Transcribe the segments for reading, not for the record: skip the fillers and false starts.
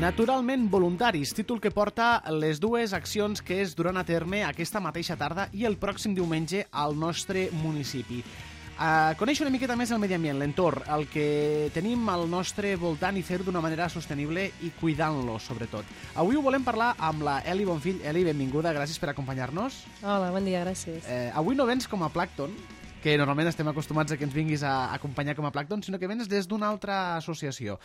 Naturalment voluntaris, títol que porta les dues accions que es duran a terme aquesta mateixa tarda i el pròxim diumenge al nostre municipi. Conèixer una miqueta més el medi ambient, l'entorn, el que tenim al nostre voltant i fer-ho d'una manera sostenible i cuidant-lo, sobretot. Avui ho volem parlar amb la Eli Bonfill. Eli, benvinguda, gràcies per acompanyar-nos. Hola, bon dia, gràcies. Avui no vens com a plàncton, que normalment estem acostumats a que ens vinguis a acompanyar com a plàncton, sinó que vens des d'una altra associació.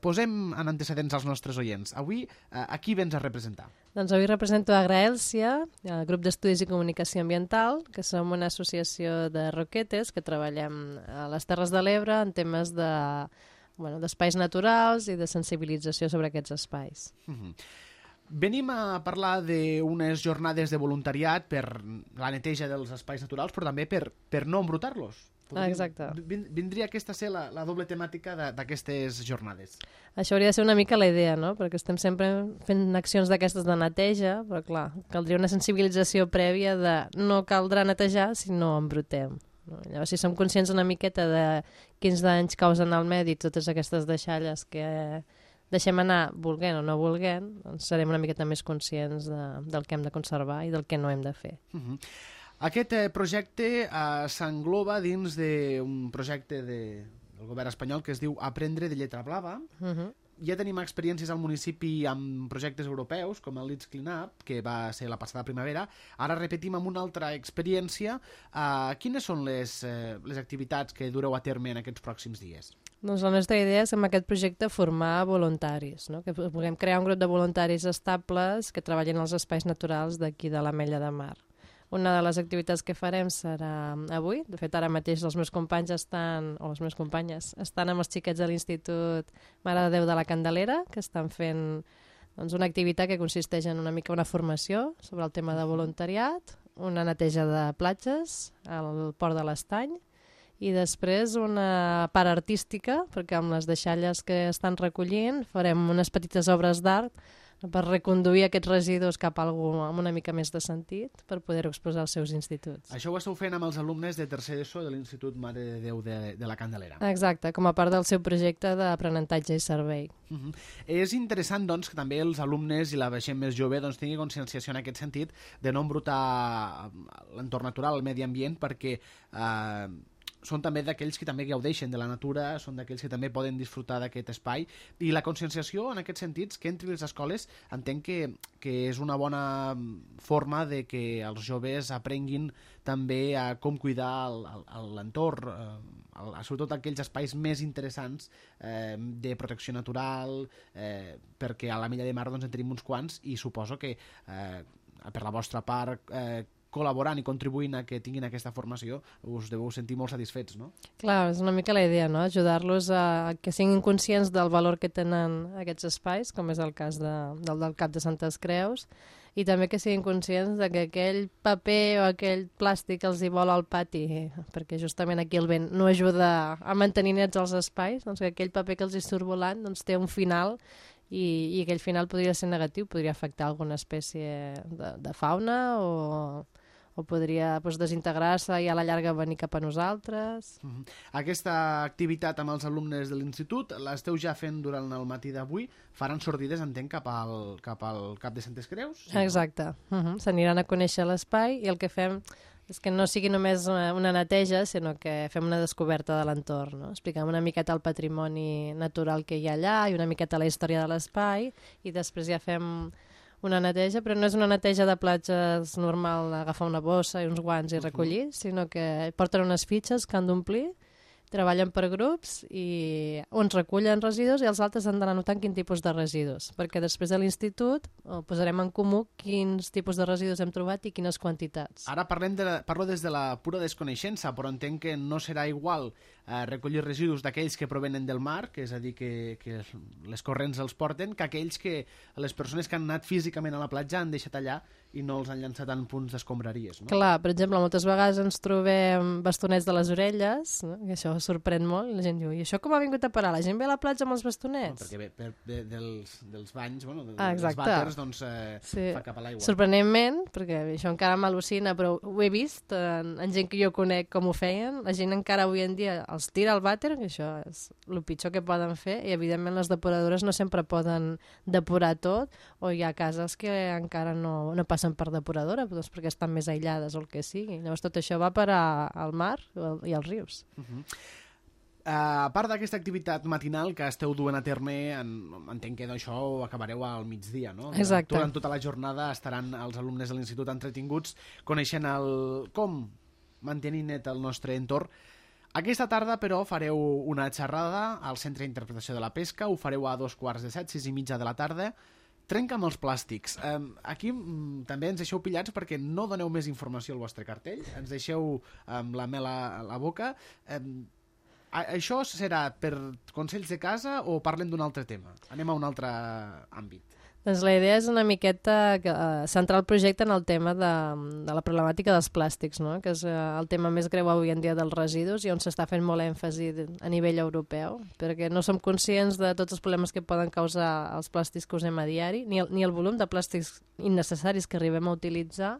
Posem en antecedents als nostres oients. Avui, a qui vens a representar? Doncs avui represento Agraèlsia, el grup d'estudis i comunicació ambiental, que som una associació de roquetes que treballem a les Terres de l'Ebre en temes d'espais naturals i de sensibilització sobre aquests espais. Venim a parlar d'unes jornades de voluntariat per la neteja dels espais naturals, però també per no embrutar-los. Exacte. Vindria aquesta a ser la doble temàtica d'aquestes jornades. Això hauria de ser una mica la idea, no? Perquè estem sempre fent accions d'aquestes de neteja, però clar, caldria una sensibilització prèvia de no caldrà netejar si no embrutem. Llavors, si som conscients una miqueta de quins danys causen al medi totes aquestes deixalles que deixem anar volent o no volent, doncs serem una miqueta més conscients del que hem de conservar i del que no hem de fer. Aquest projecte s'engloba dins d'un projecte del govern espanyol que es diu Aprendre de Lletra Blava. Ja tenim experiències al municipi amb projectes europeus, com el Let's Clean Up, que va ser la passada primavera. Ara repetim amb una altra experiència. Quines són les activitats que dureu a terme en aquests pròxims dies? Doncs la nostra idea és amb aquest projecte formar voluntaris, no? Que puguem crear un grup de voluntaris estables que treballin als espais naturals d'aquí de l'Ametlla de Mar. Una de les activitats que farem serà avui. De fet, ara mateix els meus companys les meves companyes estan amb els xiquets de l'Institut Mare de Déu de la Candelera, que estan fent una activitat que consisteix en una mica una formació sobre el tema de voluntariat, una neteja de platges al Port de l'Estany, i després una part artística, perquè amb les deixalles que estan recollint farem unes petites obres d'art per reconduir aquests residus cap a algú amb una mica més de sentit per poder-ho exposar als seus instituts. Això ho esteu fent amb els alumnes de tercer d'ESO de l'Institut Mare de Déu de la Candelera. Exacte, com a part del seu projecte d'aprenentatge i servei. És interessant, doncs, que també els alumnes i la gent més jove tingui conscienciació en aquest sentit de no embrutar l'entorn natural, el medi ambient, perquè són també d'aquells que també gaudeixen de la natura, són d'aquells que també poden disfrutar d'aquest espai, i la conscienciació en aquests sentits que entri a les escoles entenc que és una bona forma de que els joves aprenguin també a com cuidar l'entorn, sobretot aquells espais més interessants de protecció natural, perquè a l'Ametlla de Mar en tenim uns quants i suposo que per la vostra part col·laborant i contribuint a que tinguin aquesta formació, us deveu sentir molt satisfets, no? Clar, és una mica la idea, no? Ajudar-los a que siguin conscients del valor que tenen aquests espais, com és el cas del Cap de Santes Creus, i també que siguin conscients de que aquell paper o aquell plàstic els hi vola al pati, perquè justament aquí el vent no ajuda a mantenir nets els espais, doncs que aquell paper que els hi surt volant té un final i aquell final podria ser negatiu, podria afectar alguna espècie de fauna o podria desintegrar-se i a la llarga venir cap a nosaltres. Aquesta activitat amb els alumnes de l'institut l'esteu ja fent durant el matí d'avui. Faran sortides, entenc, cap al Cap de Santes Creus? Sí, exacte. S'aniran a conèixer l'espai i el que fem és que no sigui només una neteja, sinó que fem una descoberta de l'entorn, no? Expliquem una miqueta el patrimoni natural que hi ha allà i una miqueta la història de l'espai i després ja fem una neteja, però no és una neteja de platges normal, agafar una bossa i uns guants i recollir, sinó que porten unes fitxes que han d'omplir, treballen per grups i uns recullen residus i els altres han d'anar notant quin tipus de residus, perquè després de l'institut posarem en comú quins tipus de residus hem trobat i quines quantitats. Ara parlo des de la pura desconeixença, però entenc que no serà igual recollir residus d'aquells que provenen del mar, que és a dir, que les corrents els porten, que aquells que les persones que han anat físicament a la platja han deixat allà i no els han llançat en punts d'escombraries, no? Clar, per exemple, moltes vegades ens trobem bastonets de les orelles, no? I això sorprèn molt, i la gent diu, i això com ha vingut a parar? La gent ve a la platja amb els bastonets? No, perquè dels banys, dels vàters, doncs fa cap a l'aigua. Sorprenentment, perquè això encara m'al·lucina, però ho he vist en gent que jo conec com ho feien, la gent encara avui en dia els tira al vàter, que això és el pitjor que poden fer, i evidentment les depuradores no sempre poden depurar tot, o hi ha cases que encara no passen per depuradora, doncs perquè estan més aïllades o el que sigui. Llavors tot això va parar al mar i als rius. A part d'aquesta activitat matinal que esteu duent a terme, entenc que això ho acabareu al migdia, no? Exacte. Durant tota la jornada estaran els alumnes de l'institut entretinguts coneixent com mantenir net el nostre entorn. Aquesta tarda, però, fareu una xerrada al Centre d'Interpretació de la Pesca, ho fareu a 2:45, 6:30 de la tarda. Trenca amb els plàstics. Aquí també ens deixeu pillats perquè no doneu més informació al vostre cartell, ens deixeu amb la mel a la boca. Això serà per consells de casa o parlem d'un altre tema? Anem a un altre àmbit. Doncs la idea és una miqueta centrar el projecte en el tema de la problemàtica dels plàstics, no? Que és el tema més greu avui en dia dels residus i on s'està fent molt èmfasi a nivell europeu, perquè no som conscients de tots els problemes que poden causar els plàstics que usem a diari, ni el volum de plàstics innecessaris que arribem a utilitzar.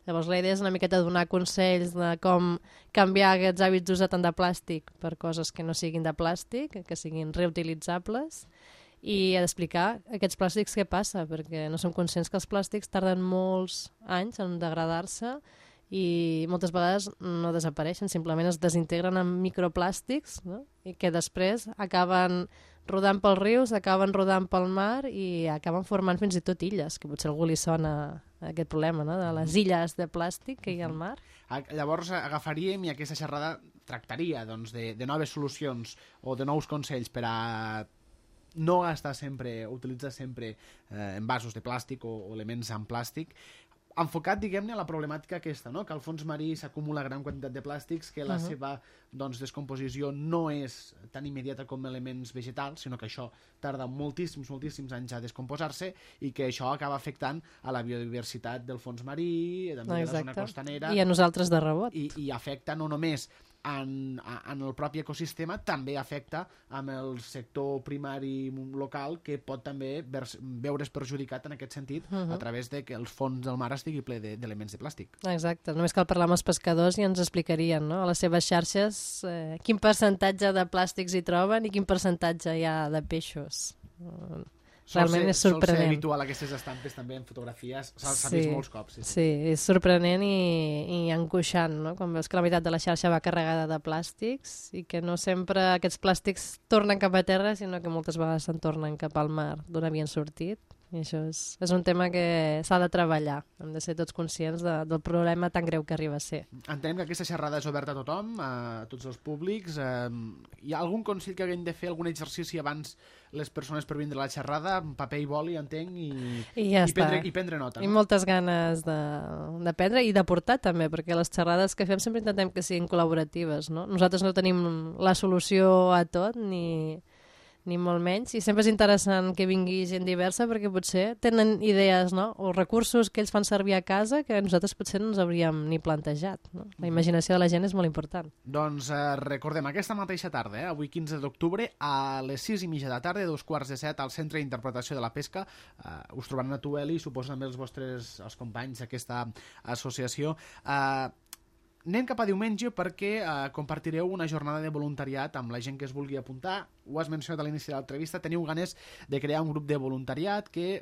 Llavors la idea és una miqueta donar consells de com canviar aquests hàbits d'usar tant de plàstic per coses que no siguin de plàstic, que siguin reutilitzables, i d'explicar aquests plàstics què passa, perquè no som conscients que els plàstics tarden molts anys en degradar-se i moltes vegades no desapareixen, simplement es desintegren en microplàstics, no? I que després acaben rodant pels rius, acaben rodant pel mar i acaben formant fins i tot illes, que potser a algú li sona aquest problema, no? De les illes de plàstic que hi ha al mar. Llavors agafaríem i aquesta xerrada tractaria doncs, de noves solucions o de nous consells per a no gastar sempre, utilitzar sempre envasos de plàstic o elements en plàstic, enfocat, diguem-ne, a la problemàtica aquesta, no? Que al fons marí s'acumula gran quantitat de plàstics, que la seva descomposició no és tan immediata com elements vegetals, sinó que això tarda moltíssims anys a descomposar-se i que això acaba afectant a la biodiversitat del fons marí, també de la zona costanera. I a nosaltres de rebot. I afecta no només en el propi ecosistema, també afecta amb el sector primari local, que pot també veure's perjudicat en aquest sentit a través de que el fons del mar estigui ple d'elements de plàstic. Exacte, només cal parlar amb els pescadors i ens explicarien, no? A les seves xarxes quin percentatge de plàstics hi troben i quin percentatge hi ha de peixos. Realment és sorprenent. Sol ser habitual aquestes estampes també en fotografies, s'ha vist molts cops. Sí, és sorprenent i angoixant, no? Quan veus que la meitat de la xarxa va carregada de plàstics i que no sempre aquests plàstics tornen cap a terra, sinó que moltes vegades se'n tornen cap al mar d'on havien sortit. I això és un tema que s'ha de treballar. Hem de ser tots conscients del problema tan greu que arriba a ser. Entenem que aquesta xerrada és oberta a tothom, a tots els públics. Hi ha algun consell que haguem de fer, algun exercici abans les persones per vindre a la xerrada, amb paper i boli, entenc, i prendre nota. No? I moltes ganes de prendre i de portar també, perquè les xerrades que fem sempre intentem que siguin col·laboratives, no? Nosaltres no tenim la solució a tot, ni molt menys, i sempre és interessant que vingui gent diversa perquè potser tenen idees, no? O recursos que ells fan servir a casa que nosaltres potser no ens hauríem ni plantejat, no? La imaginació de la gent és molt important. Doncs recordem, aquesta mateixa tarda, avui 15 d'octubre, a les 6:30 de la tarda, 2:45, al Centre d'Interpretació de la Pesca, us trobaran a tu, Eli, suposo també els companys d'aquesta associació. Anem cap a diumenge perquè compartireu una jornada de voluntariat amb la gent que es vulgui apuntar. Ho has mencionat a l'inici de l'entrevista, teniu ganes de crear un grup de voluntariat que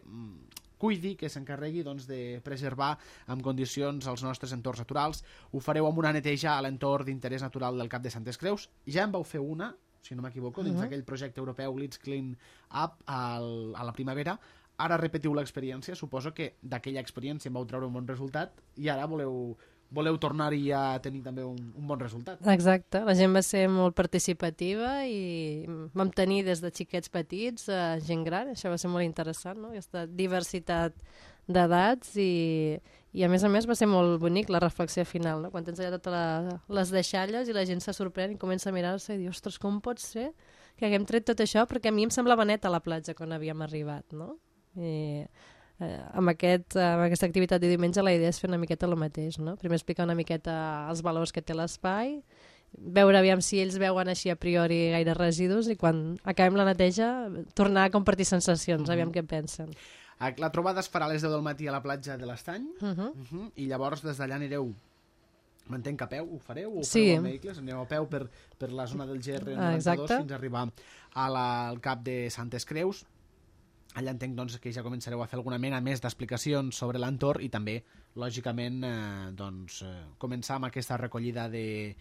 cuidi, que s'encarregui de preservar en condicions els nostres entorns naturals. Ho fareu amb una neteja a l'entorn d'interès natural del Cap de Santes Creus. Ja en vau fer una, si no m'equivoco, dins d'aquell projecte europeu Let's Clean Up a la primavera. Ara repetiu l'experiència, suposo que d'aquella experiència en vau treure un bon resultat i ara voleu tornar-hi a tenir també un bon resultat. Exacte, la gent va ser molt participativa i vam tenir des de xiquets petits a gent gran, això va ser molt interessant, no? Aquesta diversitat d'edats i a més va ser molt bonic la reflexió final, no? Quan tens allà totes les deixalles i la gent se sorprèn i comença a mirar-se i diu, ostres, com pot ser que haguem tret tot això? Perquè a mi em semblava net a la platja quan havíem arribat, no? I amb aquesta activitat de diumenge la idea és fer una miqueta el mateix, no? Primer explicar una miqueta els valors que té l'espai, veure aviam si ells veuen així a priori gaire residus i quan acabem la neteja tornar a compartir sensacions, aviam què pensen. La trobada es farà a les 10 del matí a la platja de l'Estany i llavors des d'allà anireu M'entenc que a peu ho fareu? Ho Sí. fareu amb vehicles? Aneu a peu per la zona del GR92 exacte. fins a arribar al cap de Santes Creus. Allà entenc doncs, que ja començareu a fer alguna mena més d'explicacions sobre l'entorn i també, lògicament, començar amb aquesta recollida dels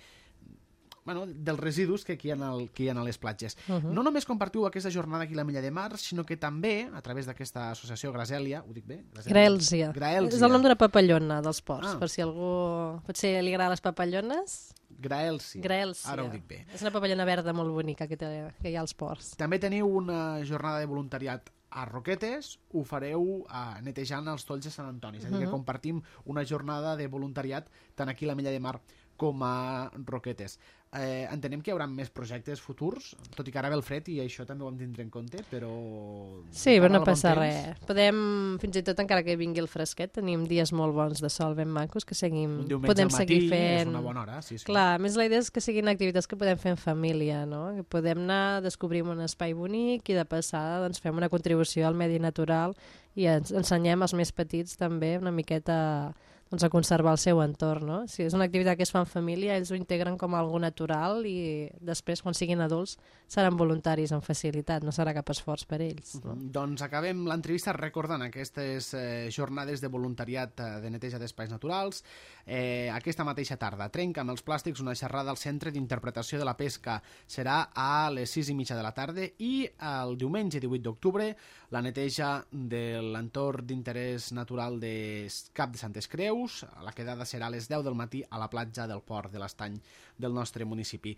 residus que hi ha a les platges. No només compartiu aquesta jornada aquí a la Mella de Mar, sinó que també, a través d'aquesta associació Grasèlia, ho dic bé? Graèlsia. Graèlsia. És el nom d'una papallona dels ports, Ah. per si algú potser li agrada les papallones. Graèlsia. Graèlsia. Ara ho dic bé. És una papallona verda molt bonica que hi ha als ports. També teniu una jornada de voluntariat a Roquetes, ho fareu netejant els tolls de Sant Antoni. És a dir, que compartim una jornada de voluntariat tant aquí a la Mella de Mar com a Roquetes. Entenem que hi haurà més projectes futurs, tot i que ara ve el fred i això també ho hem de tindre en compte, però... Sí, però no passa res. Podem, fins i tot encara que vingui el fresquet, tenim dies molt bons de sol ben macos que Un diumenge podem al matí seguir fent. és una bona hora, sí. Clar, a més la idea és que siguin activitats que podem fer en família, no? Que podem anar, descobrim un espai bonic i de passada doncs, fem una contribució al medi natural i ensenyem als més petits també una miqueta doncs, a conservar el seu entorn, no? Si és una activitat que es fa en família, ells ho integren com algo natural i després, quan siguin adults, seran voluntaris amb facilitat, no serà cap esforç per ells. No? Doncs acabem l'entrevista recordant aquestes jornades de voluntariat de neteja d'espais naturals. Aquesta mateixa tarda, Trenca amb els plàstics, una xerrada al Centre d'Interpretació de la Pesca. Serà a les 6:30 de la tarda i el diumenge 18 d'octubre la neteja de l'entorn d'interès natural de Cap de Santes Creus. La quedada serà a les 10 del matí a la platja del Port de l'Estany del nostre municipi.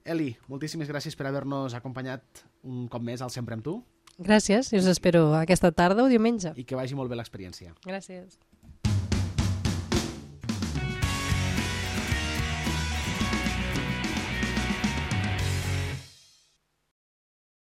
Eli, moltíssimes gràcies per haver-nos acompanyat un cop més al Sempre amb tu. Gràcies, i us espero aquesta tarda o diumenge. I que vagi molt bé l'experiència. Gràcies.